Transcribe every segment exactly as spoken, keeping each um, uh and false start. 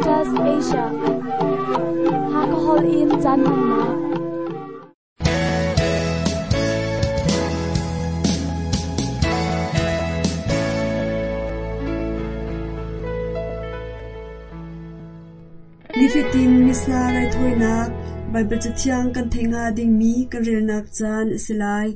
Adventist Asia. Hakahol in caan hmannak. Nifatin Missa raithawinak Baibal Cathiang kan theih hnga dingmi kan relnak caan a si lai.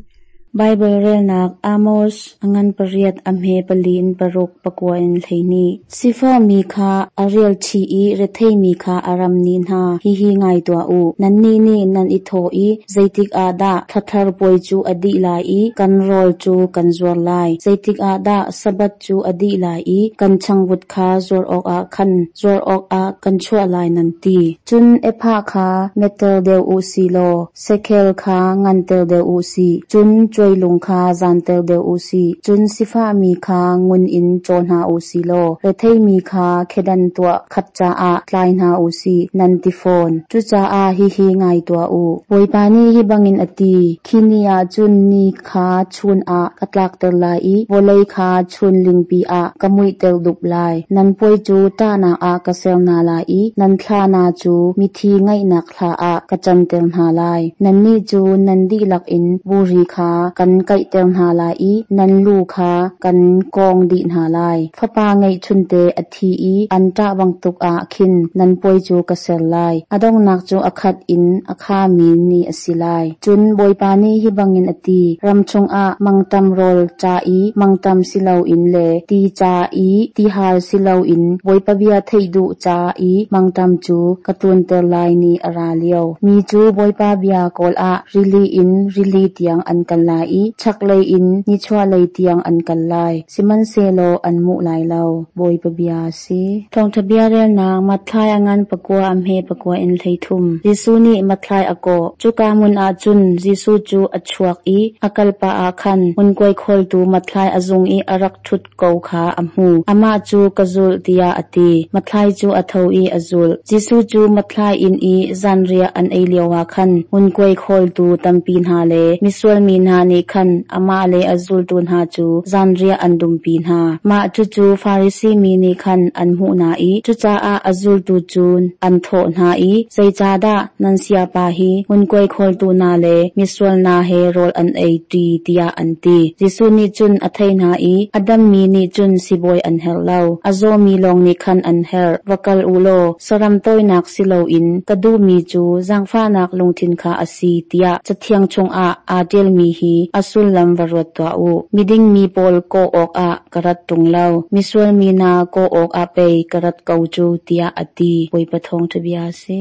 Bible relnak Amos angan pariat amhe pali in paruk pakua in hleini. Sifah mi kha a rial chi i rethei mi kha a ram ni hna hihi ngai tua u. Nan ni nih nan i thaw i zeitik ah dah thlathar puai cu a dih lai i kan rawl cu kan zuar lai. Zeitik ah dah Sabbath cu a dih lai i kan changvut kha zuar awkah khan zuar awkah kan chuah lai nan ti. Cun ephah kha metter deuh u si law shekel kha nganter deuh u si. Cun cuailung kha zanter deuh u si. Cun sifahmi kha ngun in caw hna u si law retheimi kha khedan tuah khat caah tlai hna u si nan ti fawn. Cucaah hihi ngai tuah u. Bawipa nih hi bangin a ti. Khi ni ah cun ni kha chun ah ka tlakter lai i vawlei kha chun lingpi ah ka muihter dup lai. Nan puai cu ṭahnak ah ka ser hna lai i nan thla hna cu mithi ngaihnak thla ah ka canter hna lai. Nannih cu nan dihlak in buri kha kan kaihter hna lai i nan lu kha kan kawng dih hna lai. Fapa ngeihchunte a thi i an ṭah bantuk ah khin nan puai cu ka ser lai. A donghnak cu a khat in a khami ni a si lai. Cun Bawipa nih hi bangin a ti. Ram chungah mangṭam rawl ca i mangṭam si loin le ti ca i tihal si loin Bawipa bia theih duh ca i mangṭam cu ka tlunter lai ni a ra lio. Mi cu Bawipa bia kawl ah rili in rili tiang an kal lai i chaklei in nichuahlei tiang an kal lai. Sihmanhsehlaw an hmuh lai lo. Bawipa bia a si. Thawngṭha bia relnak Matthai a ngan pakua a hme pakua in hleithum. Jesuh nih Matthai a kawh. Cuka hmun ah cun Jesuh cu a chuak i a kalpah ah khan ngunkhuai khawltu Matthai a zung i a rak ṭhut ko kha a hmu. Amah cu ka zulh tiah a ti. Matthai cu a tho i a zulh. Jesuh cu Matthai inn i zanriah an ei lioah khan ngunkhuai khawltu tampi hna le misual mi hna nih khan amah le a zultu hna cu zanriah an dumpi hna. Mah cucu Farasi mi nih khan an hmuh hna i cucaah a zultu cu an thawh hna i zeicahdah nan sayapa hi ngunkhuai khawltu hna le misual hna he rawl an ei ṭi tiah an ti. Jesuh nih cun a theih hna i a dammi nih cun sibawi an herh lo. A zawmi lawng nih khan an herh. Va kal u law saram tawinak si loin ka duhmi cu zaangfahnak lungthin kha a si tiah Cathiang chungah aa ṭialmi hi a sullam va ruat tuah u. Miding mi pawl kawh awkah ka rat ṭung lo. Misual mi hna kawh awkah pei ka rat ko cu tiah a ti. Bawipa thawngṭha bia a si.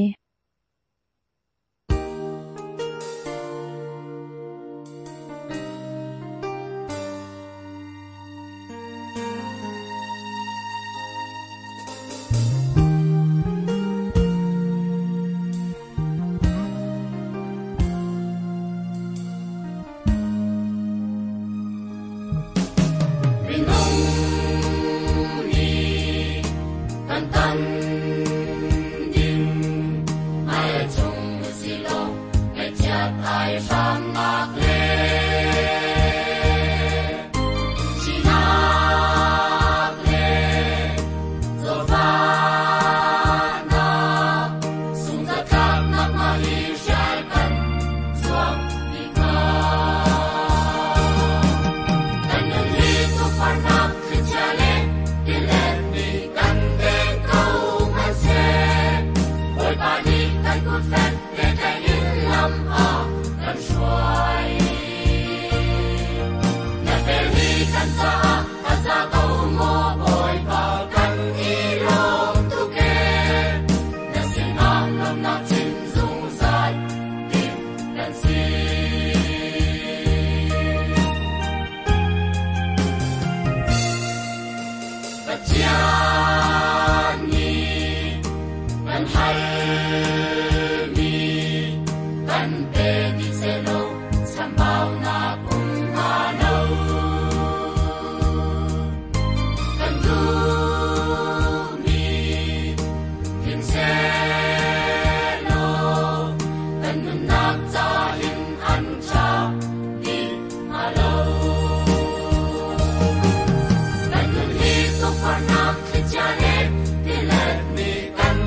Minung nih kan tan ding ngai chung silaw ngaihchiat ai hramnak le sinak le zawtfahnak sungzatlaknak mah hi hrial kan zuam dih hna. Kan nun hi tukforhnak thlichia le tilet nih kan den ko hmanhseh, Bawipa nih kan kut fek te tlaih in lam a kan hruai. Na vel hi kan caah a za ko maw Bawipa kan i lawm tuk ee. Na sinah lawmhnak chim zungzal ding kan si. Pathian nih kan halmi kan pe dih sehlaw chambaunak um hnga lo. Kan duhmi tling sehlaw kan nunnak ca hin an ṭha dih hnga lo. Kan nun hi tukforhnak thlichia le tilet nih kan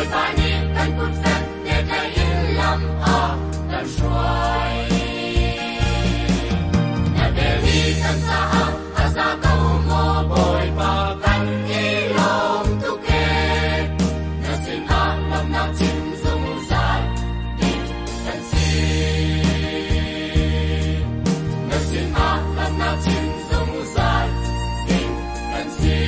Bawipa nih kan kut fek te tlaih in lam a kan hruai. Na vel hi kan caah a za ko maw Bawipa kan i lawm tuk ee. Na sinah lawmhnak chim zungzal ding kan si. Na sinah lawmhnak chim zungzal ding kan si.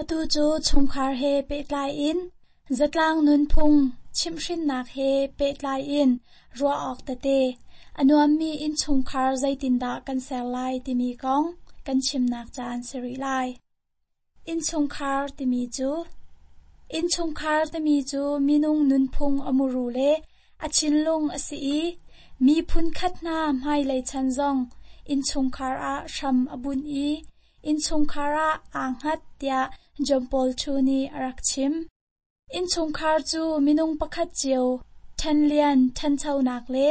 Atu cu chungkhar he pehtlai in zatlang nunphung chimhhrinnak he pehtlai in ruah awk tete a nuammi innchungkhar zeitindah kan ser lai timi kong kan chimnak caan si rih lai. Innchungkhar timi cu Innchungkhar timi cu minung nunphung a muru le a thinlung a si i miphun khat hna hmailei chan zong innchungkhar ah hram a bunh i innchungkhar ah aa hngat tiah John Paul II nih a rak chim. Innchungkhar cu minung pakhat cio ṭhenlian ṭhanchonak le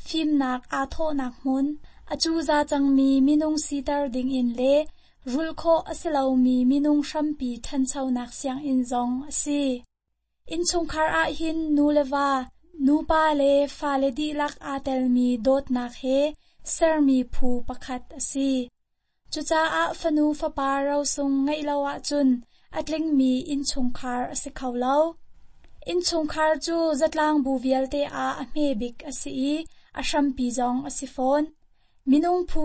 fimnak aa thawhnak hmun, a cuza cangmi minung siter dingin le rulh khawh a si lomi minung hrampi ṭhanchonak sianginn zong a si. Innchungkhar ahhin nu le va, nupa le fale dihlak aa telmi dawtnak he sermi phu pakhat a si. Cucaah fanu fapa rosung ngeih lo ahcun a tlingmi innchungkhar a si kho lo. Innchungkhar cu zatlang bu vialte ah a hme bik a si i a hrampi zong a si fawn. Minung phu